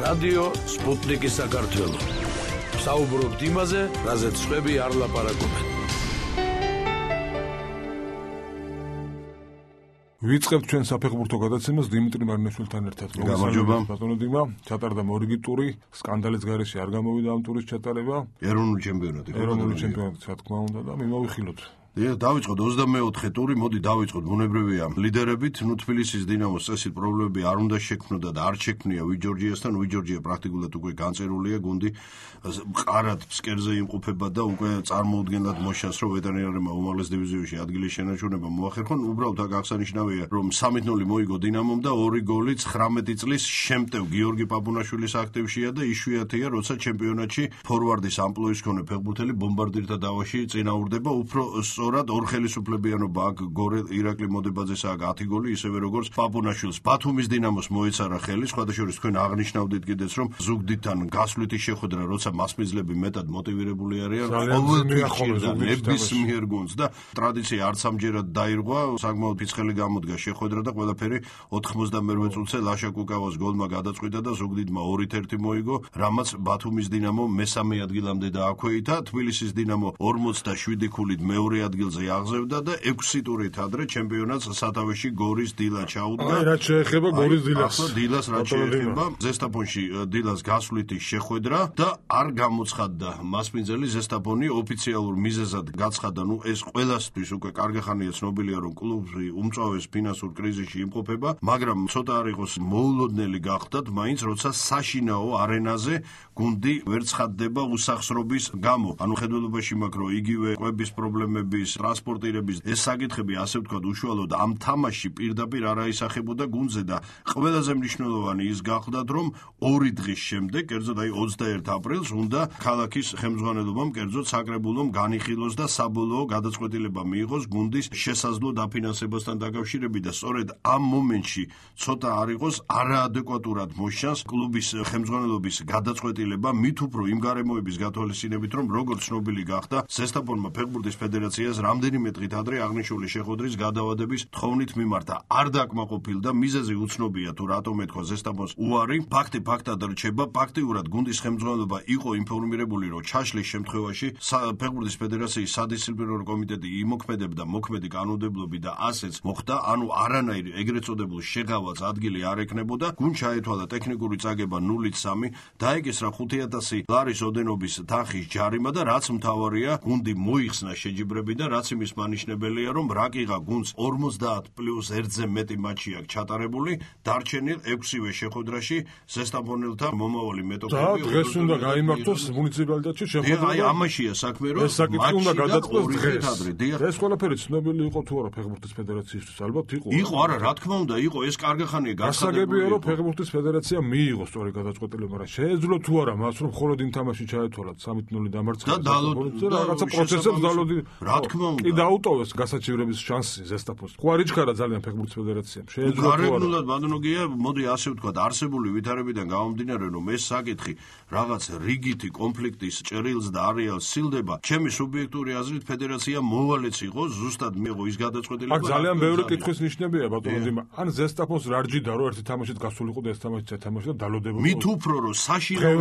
რადიო სპუტნიკი საქართველო. საუბრობთ იმაზე, რაზეც სხვები არ ლაპარაკობენ. ვიწყებთ ჩვენ საფეხბურთო გადაცემას დიმიტრი მარინაშვილთან ერთად. გამარჯობა. ბატონო დიმა, ჩატარდა მორიგი ტური, სკანდალის გარეშე არ გამოვიდა ამ ტურის ჩატარება. ეროვნული ჩემპიონატი. ეროვნული ჩემპიონატი, რა თქმა უნდა და მიმოვიხილოთ. დავიწყოთ 24 ტური, მოდი დავიწყოთ ბუნებრივია ლიდერებით. თბილისის დინამოს წესით პრობლემები არ უნდა შექმნოდა და არ შექმნია ვიჯორჯიასთან. ვიჯორჯია პრაქტიკულად უკვე განწერულია, გუნდი მყარად ფსკერზე იმყოფება და უკვე წარმოუდგენლად მოშანს, რომ ვეტერინარებმა უმაღლეს დივიზიონში ადგილის შენარჩუნება მოახერხონ. უბრალოდ აქ აღსანიშნავია, რომ 3-0 მოიგო დინამომ და 2 გოლი 19 წლის შემტევ გიორგი პაპუნაშვილის აქტივშია და იშვიათია, როცა ჩემპიონატში ფორვარდის ამპლუის მქონე ფეხბურთელი ბომბარდირთა დავაში წინაურდება. უფრო სწორად ორ ხელისუფლებიანობა აქ გორელ ირაკლი მოდებაძეს აქ 10 გოლი, ისევე როგორც პაპუნაშვილს ბათუმის დინამოს მოეცარა ხელი. სხვადასხვა თქვენ აღნიშნავდით კიდეც, რომ ზუგდიდთან გასვლითი შეხვედრა, როცა მასპინძლები მეტად მოტივირებული არიან, ნებისმიერ გუნდს და ტრადიცია არც ამჯერად დაირღვა, საკმაოდ ფიცხელი გამოდგა შეხვედრა და ყველაფერი 98 წუთზე ლაშა კუკავას გოლმა გადაწყვიტა და ზუგდიდმა 2-1 მოიგო, რამაც ბათუმის დინამო მესამე ადგილამდე დააქვეითა. თბილისის დინამო 47 ქულით მეორე ადგილზე აღზევდა და 6 ტურით ადრე ჩემპიონატს სათავეში გორის დილა ჩაუდგა. აი, რაც შეეხება გორის დილას. დილას რაც შეეხება, ზესტაფონში დილას გასვლითი შეხვედრა და არ გამოცხადდა მასპინძელი. ზესტაფონი ოფიციალურ მიზეზად გაცხადდა, ეს ყველასთვის უკვე კარგი ხანია ცნობილია, რომ კლუბი უმწვავეს ფინანსურ კრიზისში იმყოფება, მაგრამ ცოტა არ იყოს მოულოდნელი გახდათ, მაინც როცა საშინაო არენაზე გუნდი ვერ ცხადდება უსახსრობის გამო. ანუ ხედველობაში მაქვს, რომ იგივე კვების პრობლემების, ტრანსპორტირების ეს საკითხები, ასე ვთქვათ, უშუალოდ ამ თამაშში პირდაპირ არ აისახებოდა გუნდზე და ყველაზე მნიშვნელოვანი ის გახდათ, რომ 2 დღის შემდეგ, კერძოდ აი 21 აპრილს უნდა ქალაქის ხელმძღვანელობამ, კერძოდ საკრებულომ განიხილოს და საბოლოო გადაწყვეტილება მიიღოს გუნდის შესაძლო დაფინანსებასთან დაკავშირებით და სწორედ ამ მომენტში ცოტა არ იყოს არაადეკვატურად მოშანს კლუბის ხელმძღვანელობის გადაწყვეტილება, მით უფრო იმ გარემოების გათვალისწინებით, რომ როგორც ცნობილი გახდა, ზესტაფონმა ფეხბურთის ფედერაციას რამდენიმე დღით ადრე აღნიშნული შეხვედრის გადავადების თხოვნით მიმართა. არ დაკმაყოფილდა, მიზეზი უცნობია თუ რატომ ეთქვა ზესტაფონს უარი. ფაქტი ფაქტად რჩება, ფაქტიურად გუნდის ხელმძღვანელობა იყო ინფორმირებული, რომ ჩაშლის შემთხვევაში ფეხბურთის ფედერაციის სადისციპლინარო კომიტეტი იმოქმედებდა მოქმედი კანონმდებლობით და ასეც მოხდა, ანუ არანაირი ეგრეთ წოდებულ შეღავას ადგილი არ ექნებოდა. გუნდ ჩაეთვალა ტექნიკური წაგება 0-3, დაეკისრა 5,000 ლარის ოდენობის თანხის ჯარიმა და რაც მთავარია, გუნდი მოიხსნა შეჯიბრები და რაც იმის მანიშნებელია, რომ რაკიღა გუნდს 50+1-ზე მეტი მატჩი აქვს ჩატარებული, დარჩენილ 6-ვე შეხვედრაში ზესტაფონელთან მომავალი მეტოქები. და დღეს უნდა გაიმართოს მუნიციპალიტეტში შეხვედრა. აი, ამაშია საქმე, რომ ეს საკითხი უნდა გადაწყდეს დღეს. დღეს. ეს ყველაფერი ცნობილი იყო თუ არა ფეხბურთის ფედერაციისთვის? ალბათ იყო. იყო, არა, რა თქმა უნდა, იყო, ეს კარგი ხანია გასაგებია, რომ ფეხბურთის ფედერაცია მიიღო სწორი გადაწყვეტილება, მაგრამ შეეძლო თუ არა მას, რომ მხოლოდ იმ თამაში ჩაეთვალათ 3-0 დამარცხება და რაღაცა პროცესებს დალოდი. რა თქმა უნდა. კი დაუტოვეს გასაჩივრების შანსი ზესტაფონს. ხო არ იჩქარა ძალიან ფეხბურთის ფედერაციამ. შეეძლო თუ არა. გარეგნულად ბატონოგია, მოდი ასე ვთქვათ, არსებული ვითარებიდან გამომდინარე, რომ ეს საკითხი რაღაც რიგითი კონფლიქტის ჭრილს და არეალს სილდება, ჩემი სუბიექტური აზრით ფედერაცია მოვალეც იყო, ზუსტად მიიღო ის გადაწყვეტილება. აქ ძალიან ბევრი კითხვის ნიშნებია ბატონო დიმა. ან ზესტაფონს რა რჯიდა, რომ ერთი თამაშით გასულიყო და ეს თამაშიც ეთამაშა და დალოდებოდა. მით უფრო რომ საშინაო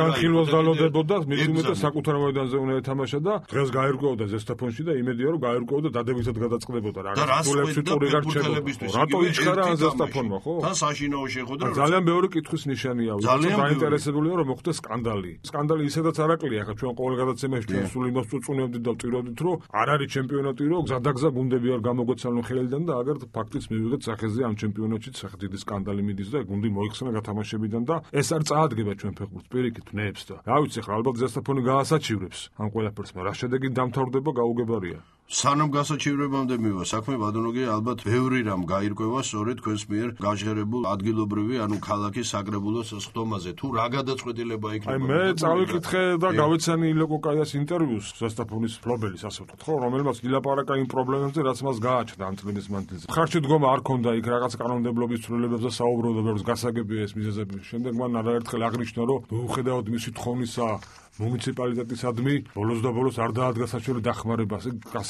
განხილვას დალოდებოდა, მით უმეტეს საკუთარ მოედანზე უნდა ეთამაშა და დღეს გაირკვეოდა ზესტაფონში და იმედია, რომ გაირკვეოდა დადებითად გადაწყდებოდა რაღაც სულებში ტური გარჩევოდა. რატო იჩქარა ან ზესტაფონმა, ხო? თან საშინაო შეხვედრა. ძალიან ბევრი კითხვის ნიშანია. დაინტერესებულია, რომ მოხდეს სკანდალი. სკანდალი ისედაც არაკლია, ხა ჩვენ ყოველ გადაცემაში ჩვენ სულ იმას წუწუნებდით და ვტიროდით, რომ არ არის ჩემპიონატი, რომ გზადაგზა გუნდები არ გამოგვეცალონ ხელიდან და აგერ ფაქტიც მივიღეთ სახეზე ამ ჩემპიონატში სახე დიდი სკანდალი მიდის და გუნდი მოიხსნა გათამაშებიდან და ეს არ წაადგება ჩვენ ფეხბურთს პირიქით ნებს და რა ვიცი ხა ალბათ ზესტაფონი გაასაჩივრებს ამ ყველაფერს, მაგრამ რა შედეგი დამთავრდება გაუგებარია. სანამ გასაჩივრებამდე მივა საქმე ბატონოგია, ალბათ ბევრი რამ გაირკვევა სწორედ თქვენს მიერ გაჟღერებულ ადგილობრივი, ანუ ქალაქის საკრებულოს სხდომაზე. თუ რა გადაწყვეტილება იქნება? აი მე წავიკითხე და გავეცანი ილოკო კაიას ინტერვიუს ზესტაფონის ფლობელის, ასე ვთქვათ, ხო, რომელმაც ილაპარაკა იმ პრობლემებზე, რაც მას გააჩნდა ამ წლების მანძილზე. ხარჯი დგომა არ ქონდა იქ რაღაც კანონმდებლობის ცვლილებებზე საუბრობდა, ბევრს გასაგებია ეს მიზეზები. შემდეგ მან არაერთხელ აღნიშნა, რომ მიუხედავად მისი თხოვნისა მუნიციპალიტეტისადმი ბოლოს და ბოლოს არ დაადგა საჩვერო დახმარებას.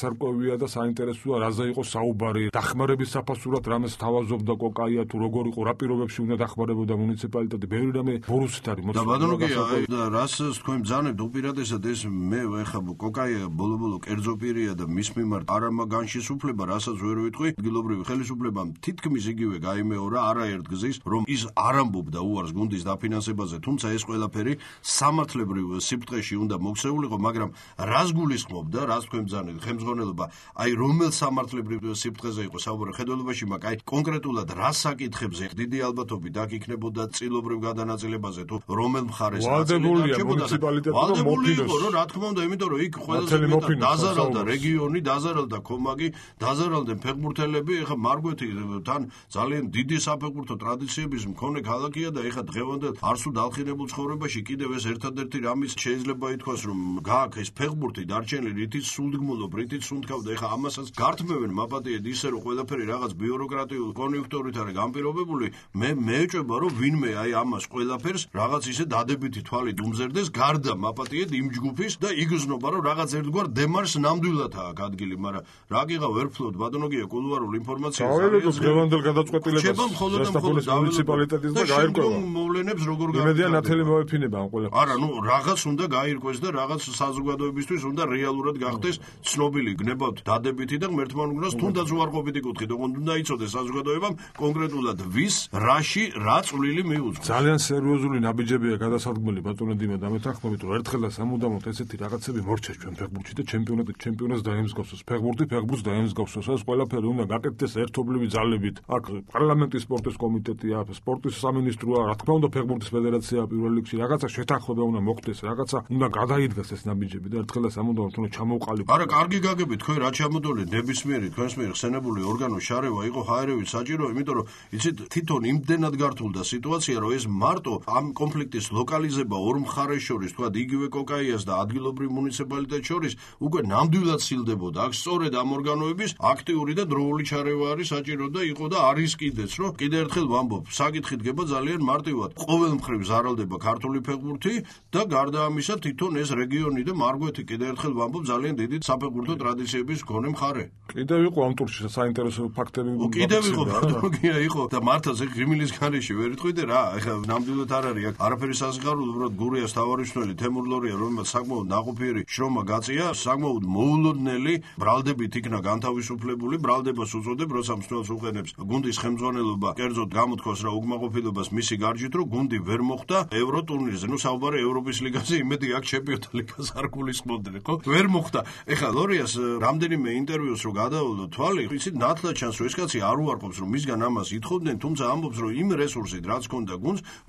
გასარკვევია და საინტერესოა, რაზე იყო საუბარი, დახმარების საფასურად რამეს თავაზობდა კოკაია, თუ როგორ იყო, რა პირობებში უნდა დახმარებოდა მუნიციპალიტეტი, ბევრი რამე ბორუსით არის და ბატონო კი და რას თქვენ ბძანებთ უპირატესად ეს მე ეხა კოკაია ბოლო-ბოლო კერძო პირია და მის მიმართ არა მაგანშისუფლება, რასაც ვერ ვიტყვი, ადგილობრივი ხელისუფლებამ თითქმის იგივე გაიმეორა არაერთ გზის, რომ ის არ ამბობდა უარს გუნდის დაფინანსებაზე, თუმცა ეს ყველაფერი სამართლებრივ სიფრთხეში უნდა მოქცეულიყო, მაგრამ რას გულისხმობდა, რას თქვენ ბძანებთ, ხელმძღვანელობა, აი რომელ სამართლებრივ სიფრთხეზე იყო საუბარი ხელმძღვანელობაში, მაგრამ აი კონკრეტულად რა საკითხებზე დიდი ალბათობით აქ იქნებოდა წილობრივ გადანაწილებაზე თუ რომელ მხარეს ვალდებულია მუნიციპალიტეტი მოფინოს რომ რა თქმა უნდა იმიტომ რომ იქ ყველაზე მეტად დაზარალდა რეგიონი, დაზარალდა კომაგი, დაზარალდნენ ფეხბურთელები, ეხა მარგვეთი თან ძალიან დიდი საფეხბურთო ტრადიციების მქონე ქალაქია და ეხა დღევანდელ არსულ დალხინებულ ცხოვრებაში კიდევ ეს ერთადერთი რამის შეიძლება ითქვას რომ გააქვს ეს ფეხბურთი დარჩენილი რითიც სულდგმულობ, რითიც სუნთქავ და ეხა ამასაც გართმევენ მაპატიედ ისე რომ ყველაფერი რაღაც ბიუროკრატიულ კონიუნქტურით არის გამპირობებული, მე მეეჭვება რომ ვინმე აი ამას ყველაფერს რაღაც ისე დადებითი თვალით უმზერდეს გარდა მაპატიედ იმ ჯგუფის და იგრძნობა რომ რაღაც ერთგვარ დემარს ნამდვილად აქვს ადგილი, მაგრამ რა გიღა ვერ ფლობთ ბატონო გია კულუარულ ინფორმაციას არის დღევანდელ გადაწყვეტილებას შესაბამის მუნიციპალიტეტის და გაირკვევა მოვლენებს როგორ იმედია ნათელი მოეფინება ამ ყველაფერს არა ნუ რაღაც უნდა გაირკვეს და რაღაც საზოგადოებისთვის უნდა რეალურად გახდეს ცნობილი გნებავთ დადებითი და ღმერთმა უნდას თუნდაც უარყოფითი კუთხით ოღონდ უნდა იცოდეს საზოგადოებამ კონკრეტულად ვის რაში რა წვლილი მიუძღვის ძალიან სერიოზული ნაბიჯებია გადასადგმელი ბატონო დიმა და მეთანხმებით რომ ერთხელ და სამუდამოდ ესეთი რაღაცები მორჩეს ჩვენ ფეხბურთში და ჩემპიონატს დაემსგავსოს ფეხბურთს დაემსგავსოს ეს ყველაფერი უნდა გაკეთდეს ერთობლივი ძალებით აქ პარლამენტის სპორტის კომიტეტია სპორტის სამინისტროა რა თქმა უნდა ფეხბურთის ფედერაცია პირველ რიგში რაღაცა შეთანხმება უნდა მოხდეს რაღაცა უნდა გადაიდგეს ეს ნაბიჯები და ერთხელ და სამუდამოდ უნდა ჩამოვყალიბოთ არა კარგი გაგებით თქვენ რა ჩამოდოლეთ ნებისმიერი თქვენს მიერ ხსენებული ორგანო შარევა იყო ჰაერევით საჭირო იმიტომ რომ იცით თვითონ იმდენად გართულდა სიტუაცია რომ ეს მარტო ამ კონფლიქტის ლოკალიზება ორ მხარეს შორის თქვა იგივე კოკაიას და ადგილობრივ მუნიციპალიტეტს შორის უკვე ნამდვილად სილდებოდა აქ სწორედ ამ ორგანოების აქტიური და დროული ჩარევა არის საჭირო და იყო და არის კიდეც რომ კიდე ერთხელ ვამბობ საკითხი დგება ძალიან მარტივად ყოველ მხრივ ზარალდება ქართული ფეხბურთი და გარდა ამისა თვითონ ეს რეგიონი და მარგვეთი კიდე ერთხელ ვამბობ ძალიან დიდი საფეხბურთო ტრადიციების მქონე მხარე კიდევ იყო ამ ტურში საინტერესო ფაქტები კიდევ იყო ბატონო იყო და მართლაც ეგ ღიმილის ხარეში ვერ იტყვიდე რა ეხლა ნამდვილად არ არის აქ არაფერი სასიხარულო უბრალოდ გურიას თავარიშნელი თემურ ლორია რომელმაც საკმაოდ ნაყოფიერი შრომა გაწია საკმაოდ მოულოდნელი ბრალდებით იქნა განთავისუფლებული ბრალდებას უწოდებ როცა მსვლელს უყენებს გუნდის ხელმძღვანელობა კერძოდ გამოთქვას რა უკმაყოფილებას მისი გარჯით რომ გუნდი ვერ მოხვდა ევრო ტურნირზე ნუ საუბარი ევროპის ლიგაზე იმედი აქ ჩემპიონთა ლიგას არ გულისხმობდნენ ხო ვერ მოხვდა ეხლა ლორიას რამდენიმე ინტერვიუს რო გადავალო თვალი იცით ნათლად ჩანს რომ ეს კაცი არ უარყოფს რომ მისგან ამას ითხოვდნენ თუმცა ამბობს რომ იმ რესურსით რაც ჰქონდა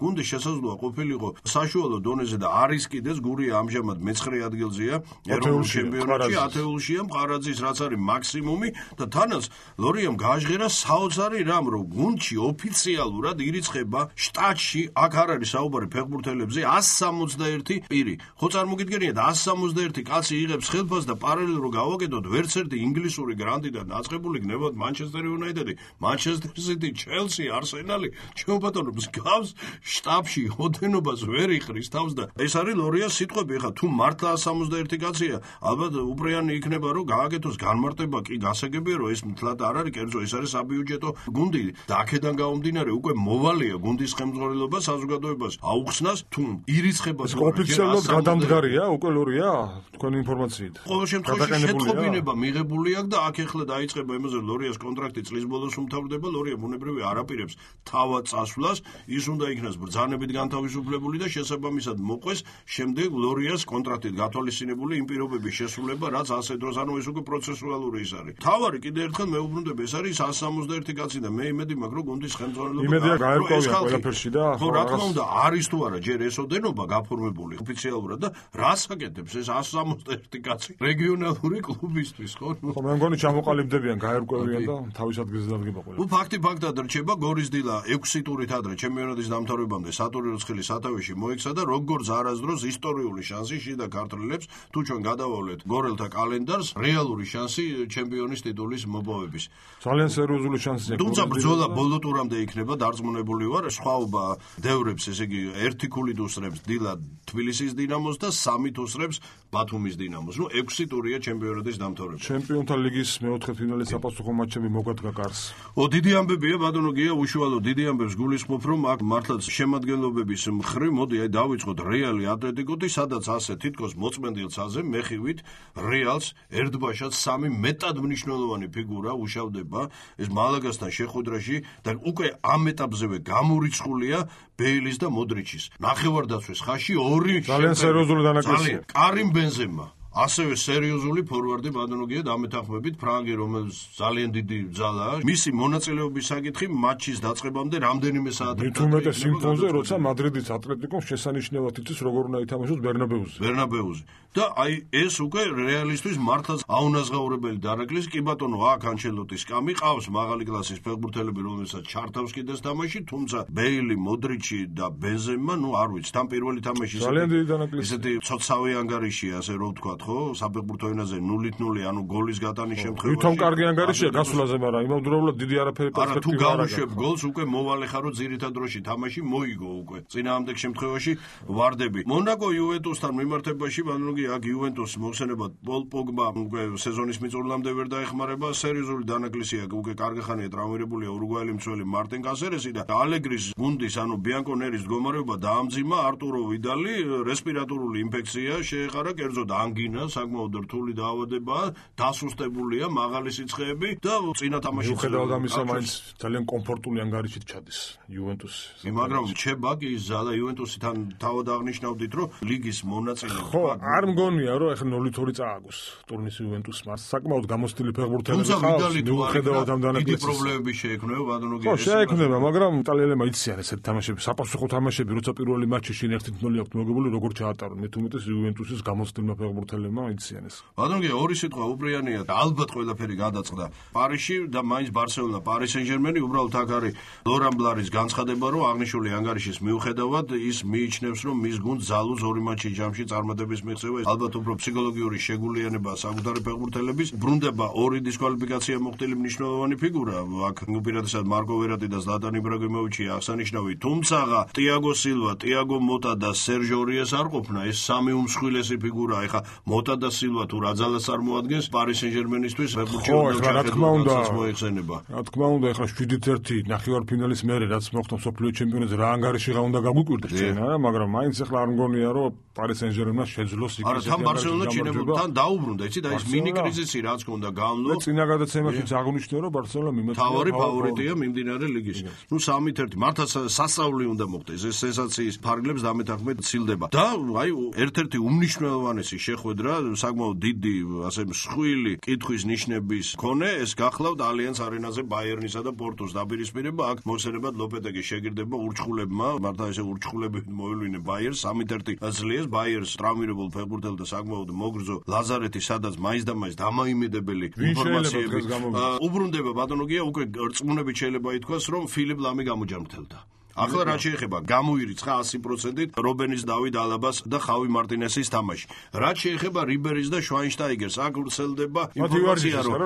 გუნდი შესაძლოა ყოფილიყო საშუალო დონეზე და არის კიდეც გურია ამჟამად მე-9 ადგილზეა ეროვნულ ჩემპიონატში ათეულშია მყარაძის რაც არის მაქსიმუმი და თანაც ლორიამ გააჟღერა საოცარი რამ რომ გუნდში ოფიციალურად ირიცხება შტატში აქ არ არის საუბარი ფეხბურთელებზე 161 პირი ხო წარმოგიდგენიათ 161 კაცი იღებს ხელფას და პარალელურად რო გავაკეთოთ ვერც ერთი ინგლისური გრანდიდან დაწყებული გნებავთ მანჩესტერ იუნაიტედი მანჩესტერ სიტი ჩელსი არსენალი ჩვენ ბატონო მსგავს შტაბში ოდენობას ვერ იხრის თავს და ეს არის ლორიას სიტყვები ხა თუ მართლა 161 კაცია ალბათ უპრეანი იქნება რომ გააკეთოს განმარტება კი გასაგებია რომ ეს მთლად არ არის კერძო ეს არის საბიუჯეტო გუნდი და აქედან გამომდინარე უკვე მოვალია გუნდის ხელმძღვანელობა საზოგადოებას აუხსნას თუ ირიცხება ოფიციალურად გადამდგარია უკვე ლორია თქვენი ინფორმაციით ყოველ შემთხვევაში შეტყობინება მიღებული აქვს და აქ ეხლა დაიწყება იმაზე ლორიას კონტრაქტი წლის ბოლოს უმთავრდება ლორია ბუნებრივი არ აპირებს თავად წასვლას ის უნდა იქნას ბრძანებით განთავისუფლებული და შესაბამისად მოყვეს შემდეგ ლორიას კონტრაქტით გათვალისწინებული იმ პირობების შესრულება რაც ასე დროს ანუ ეს უკვე პროცესუალური ის არის თავარი კიდე ერთხელ მეუბრუნდები ეს არის 161 კაცი და მე იმედი მაქვს რომ გუნდის ხელმძღვანელობა იმედია გაერკვევია ყველაფერში და ხო რა თქმა უნდა არის თუ არა ჯერ ეს ოდენობა გაფორმებული ოფიციალურად და რას აკეთებს ეს 161 კაცი რეგიონალური კლუბისთვის ხო ხო მე მგონი ჩამოყალიბდებიან გაერკვევიან და თავის ადგილზე დადგება ყველა ნუ ფაქტად რჩება გორის დილა 6 ტურით ადრე ჩემპიონატის დამთავრებამდე სატური როცხილის სათავეში მოექცა და როგორც არასდროს ისტორიული შანსი შიდა ქართველებს თუ ჩვენ გადავავლეთ გორელთა კალენდარს რეალური შანსი ჩემპიონის ტიტულის მოპოვების ძალიან სერიოზული შანსია თუმცა ბრძოლა ბოლო ტურამდე იქნება დარწმუნებული ვარ სხვაობა დევრებს ესე იგი ერთი ქულით უსრებს დილა თბილისის დინამოს და 3 უსრებს ბათუმის დინამოს ნუ 6 ტურია ჩემპიონატის სტანდარტის დამთავრება. ჩემპიონთა ლიგის მეოთხე ფინალის საპასუხო მატჩები მოგადგა კარს. დიდი ამბებია ბატონო გია, უშუალო დიდი ამბებს გულისხმობ, რომ აქ მართლაც შემადგენლობების მხრივ მოდი აი დავიწყოთ რეალი ატლეტიკოთი, სადაც ასე თითქოს მოწმენდილ ცაზე მეხივით რეალს ერთბაშად სამი მეტად მნიშვნელოვანი ფიგურა უშავდება ეს მალაგასთან შეხვედრაში და უკვე ამ ეტაპზევე გამორიცხულია ბეილის და მოდრიჩის ნახევარდაცვის ხაში ორი ძალიან სერიოზული დანაკლისია. კარიმ ბენზემა ასევე სერიოზული ფორვარდი ბატონოგია დამეთანხმებით ფრანგი, რომელიც ძალიან დიდი ძალაა. მისი მონაწილეობის საკითხი მატჩის დაწყებამდე რამდენიმე საათი მithumetes სიმფონზე, როცა მადრიდის ატლეტიკომ შესანიშნავად იცის როგორ უნდა ითამაშოს ბერნაბეუზე. და აი ეს უკვე რეალისტვის მართლაც აუნაზღაურებელი დანაკლისი. კი ბატონო, აქ ანჩელოტის კამი ყავს მაღალი კლასის ფეხბურთელები, რომელსაც ჩართავს კიდეს თამაში, თუმცა ბეილი, მოდრიჩი და ბენზემა, არ ვიცი, თან პირველი თამაში ძალიან დიდი დანაკლისი. ესეთი ცოცხავი ანგარიშია, ასე რომ ვთქვათ, ხო, საფეხბურთო ენაზე 0-0, ანუ გოლის გატანის შემთხვევაში. ვითომ კარგი ანგარიშია გასვლაზე, მაგრამ იმავდროულად დიდი არაფერი არა, თუ პერსპექტივა გავუშვებ გოლს, უკვე მოვალე ხარო ძირითად დროში თამაში მოიგო უკვე. წინააღმდეგ შემთხვევაში ვარდები. მონაკო იუვენტუსთან მიმართებაში ბანოგი აქ იუვენტუსს მოხსენებად პოლ პოგბა უკვე სეზონის მიწურულამდე ვერ დაეხმარება, სერიოზული დანაკლისია, უკვე კარგი ხანია ტრავმირებულია ურუგვაელი მცველი მარტინ კასერესი და ალეგრის გუნდის, ანუ ბიანკონერის მდგომარეობა დაამძიმა. არტურო ვიდალი რესპირატორული ინფექცია შეეხარა, კერძოდ ანგინა, საკმაოდ რთული დაავადებაა, დასუსტებულია, მაღალი სიცხეები და წინა თამაში მიუხედავად ამისა მაინც ძალიან კომფორტული ანგარიშით ჩადის იუვენტუსი. მაგრამ რჩება კი ის ზალა იუვენტუსი თან თავად აღნიშნავდით, რომ ლიგის მონაწილე. ხო, არ მგონია რომ ახლა 0-2 წააგოს ტურნის იუვენტუსმა. საკმაოდ გამოსტილი ფეხბურთელები ყავს, მიუხედავად ამ დანაკლისის. დიდი პრობლემები შეექმნება ბატონო ხო, შეექმნება, მაგრამ იტალიელებმა იციან ესეთ თამაშები, საპასუხო თამაშები, როცა პირველი მატჩი შინ 1-0 აქვს მოგებული, როგორ ჩაატარონ. მithumetes იუვენტუსის გამოსტილმა ფეხბურთელებმა იციან ეს. ბატონო, ორი სიტყვა უბრიანია და ალბათ ყველაფერი გადაწყდა პარიზში და მაინც ბარსელონა, პარი სენ-ჟერმენი, უბრალოდ აქ არის ლორან ბლარის განცხადება, რომ აღნიშნული ანგარიშის მიუხედავად ის მიიჩნევს, რომ მის გუნდს ზალუს ორი მატჩი ჯამში წარმატების მიღწევა, ალბათ უფრო ფსიქოლოგიური შეგულიანება საკუთარი ფეხბურთელების, ბრუნდება ორი დისკვალიფიკაცია მოხდილი მნიშვნელოვანი ფიგურა, აქ უპირატესად მარკო ვერატი და ზლატან იბრაგიმოვიჩი აღსანიშნავი, თუმცა ტიაგო სილვა, ტიაგო მოტა და სერჟ ორიეს არ ყოფნა, ეს სამი უმსხვილესი ფიგურაა. ეხა მოტა და სილვა თუ რა ძალას წარმოადგენს პარი სენ-ჟერმენისთვის ფეხბურთში რა თქმა უნდა მოიხსენება. რა თქმა უნდა, ეხლა 7-1 ნახევარფინალის მერე რაც მოხდა მსოფლიო ჩემპიონატზე რა ანგარიში რა უნდა გაგვიკვირდეს ჩვენ, მაგრამ მაინც ეხლა არ მგონია რომ პარი სენ-ჟერმენმა შეძლოს იქ არა, თან ბარსელონა ჩინებთან დაუბრუნდა, იცი და ეს მინი კრიზისი რაც ჰქონდა გამლო. წინა გადაცემაშიც აღნიშნე რომ ბარსელონა მიმოწია თავარი ფავორიტია მიმდინარე ლიგის. 3-1 მართლაც სასწაული უნდა მოხდეს, ეს სენსაციის ფარგლებს დამეთანხმებით ცილდება. და აი ერთ-ერთი უმნიშვნელოვანესი შეხვედრა, საკმაოდ დიდი, ასე მსხვილი კითხვის ნიშნების მქონე, ეს გახლავთ ალიანს არენაზე ბაიერნისა და პორტოს დაპირისპირება. აქ მოხსენებად ლოპეტეგის შეგირდება ურჩხულებმა, მართლა ესე ურჩხულები მოელვინე ბაიერს, 3-1 ძლიერს ბაიერს ტრამვირებულ ფეხბურთელთა საკმაოდ მოგრძო ლაზარეთი, სადაც მაინც და მაინც დამაიმედებელი ინფორმაციები უბრუნდება ბატონოგია, უკვე რწმუნებით შეიძლება ითქვას, რომ ფილიპ ლამი გამოჯანმრთელდა. ახლა რა შეეხება გამოირიცხა 100% რობენის დავიდ ალაბას და ხავი მარტინესის თამაში. რა შეეხება რიბერის და შვაინშტაიგერს, აქ ვრცელდება ინფორმაცია, რომ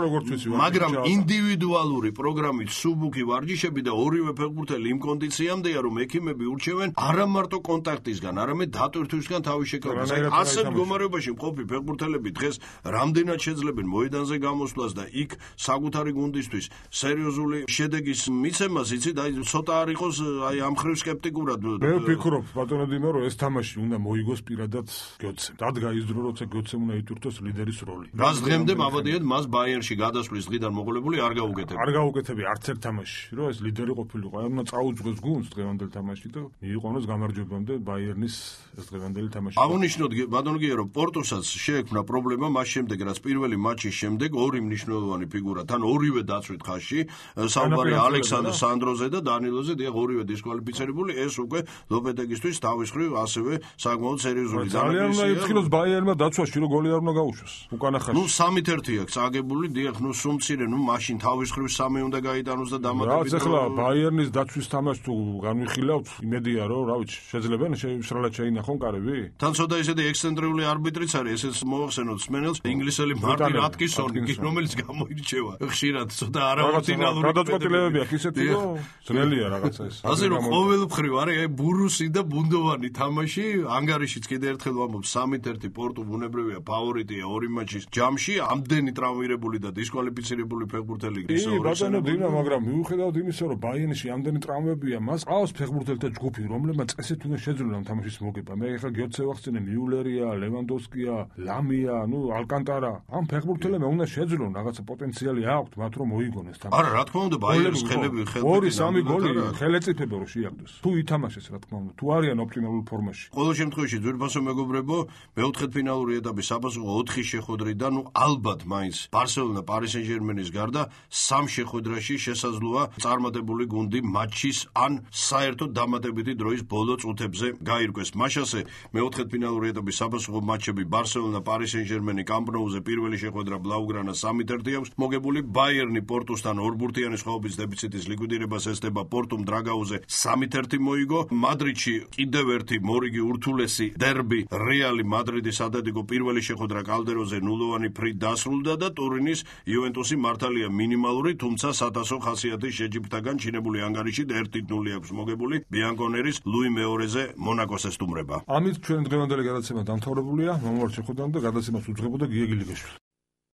მაგრამ ინდივიდუალური პროგრამით სუბუქი ვარჯიშები და ორივე ფეხბურთელი იმ კონდიციამდეა, რომ ექიმები ურჩევენ არა მარტო კონტაქტისგან, არამედ დატვირთვისგან თავის შეკავებას. ასე მდგომარეობაში მყოფი ფეხბურთელები დღეს რამდენად შეძლებენ მოედანზე გამოსვლას და იქ საკუთარი გუნდისთვის სერიოზული შედეგის მიცემას, იცით, აი ცოტა არ იყოს აი ამ ხრივ სკეპტიკურად. მე ვფიქრობ, ბატონო დიმო, რომ ეს თამაში უნდა მოიგოს პირადად გიოცემ. დადგა ის დრო, როცა გიოცემ უნდა ითვირთოს ლიდერის როლი. რას დღემდე მაბადიეთ მას ბაიერნში გადასვლის დღიდან მოყოლებული არ გაუკეთებია. არ გაუკეთებია არც ერთ თამაში, რომ ეს ლიდერი ყოფილიყო. აი უნდა წაუძღოს გუნდს დღევანდელ თამაში და მიიყვანოს გამარჯვებამდე ბაიერნის ეს დღევანდელი თამაში. აღნიშნოთ ბატონო გია, რომ პორტოსაც შეექმნა პრობლემა მას შემდეგ, რაც პირველი მატჩის შემდეგ ორი მნიშვნელოვანი ფიგურა, თან ორივე დაცვით ხაზში, საუბარი ალექსანდრ სანდროზე და დანილოზე, დიახ, ორივე დისკვალიფიცირებული, ეს უკვე ლოპეტეგისთვის თავის ხრივ ასევე საკმაოდ სერიოზული დანაკლისია. ძალიან უნდა იფრთხილოს ბაიერნმა დაცვაში, რომ გოლი არ უნდა გაუშვას. უკანა ხაზში. 3-1 აქვს წაგებული, დიახ, სუმცირე, მაშინ თავის ხრივ 3 უნდა გაიტანოს და დამატებით. რაც ახლა ბაიერნის დაცვის თამაშს თუ განვიხილავთ, იმედია რომ, რა ვიცი, შეძლებენ შეშრალად შეინახონ კარები? თან ცოტა ისეთი ექსცენტრიული არბიტრიც არის, ესეც მოახსენოთ სმენელს, ინგლისელი მარტინ ატკინსონი, რომელიც გამოირჩევა ხშირად ცოტა არავითინალური გადაწყვეტილებები აქვს ისეთი, რომ ძნელია რაღაცა ეს. ასე რომ ყოველმხრივ არის აი ბურუსი და ბუნდოვანი თამაში. ანგარიშიც კიდე ერთხელ ვამბობ 3-1 პორტუ ბუნებრივია ფავორიტია ორი მაჩის ჯამში. ამდენი ტრავმირებული და დისკვალიფიცირებული ფეხბურთელი ისე ბატონო დინა, მაგრამ მიუხედავად იმისა, რომ ბაიერნში ამდენი ტრავმებია, მას ყავს ფეხბურთელთა ჯგუფი, რომლებმაც წესით უნდა შეძლონ ამ თამაშის მოგება. მე ახლა გიოცე ვახსენე მიულერია, ლევანდოვსკია, ლამია, ალკანტარა. ამ ფეხბურთელებმა უნდა შეძლონ რაღაცა პოტენციალი აქვთ მათ რომ მოიგონეს თამაში. არა, რა თქმა უნდა, ბაიერნის ხელები 2-3 გოლი ხელეწიფება რომ შეაგდოს. თუ ითამაშეს, რა თქმა უნდა, თუ არიან ოპტიმალურ ფორმაში. ყოველ შემთხვევაში ძვირფასო მეგობრებო, მეოთხედფინალური ეტაპის საპასუხო 4 შეხვედრიდან ალბათ მაინც ბარსელონა პარი სენ-ჟერმენის გარდა 3 შეხვედრაში შესაძლოა წარმატებული გუნდი მატჩის ან საერთოდ დამატებითი დროის ბოლო წუთებზე გაირკვეს. მაშასე მეოთხედფინალური ეტაპის საპასუხო მატჩები ბარსელონა პარი სენ-ჟერმენი კამპ ნოუზე პირველი შეხვედრა ბლაუგრანა 3-1 აქვს მოგებული. ბაიერნი პორტუსთან ორბურთიანი სხვაობის დეფიციტის ლიკვიდირებას ესწრება. პორტუმ დრაგაუზე 3-1 მოიგო. მადრიდში კიდევ ერთი მორიგი ურთულესი დერბი რეალი მადრიდის ატლეტიკო პირველი შეხვედრა კალდეროზე 0-იანი ფრით დასრულდა და ტურინის იუვენტუსი მართალია მინიმალური, თუმცა სათასო ხასიათის შეჯიბრთაგან ჩინებული ანგარიშით 1-0 აქვს მოგებული. ბიანკონერის ლუი მეორეზე მონაკოს ესტუმრება. ამით ჩვენ დღევანდელი გადაცემა დამთავრებულია. მომავალ შეხვედრამდე გადაცემას უძღვებოდა გიე გილიგაშვილი.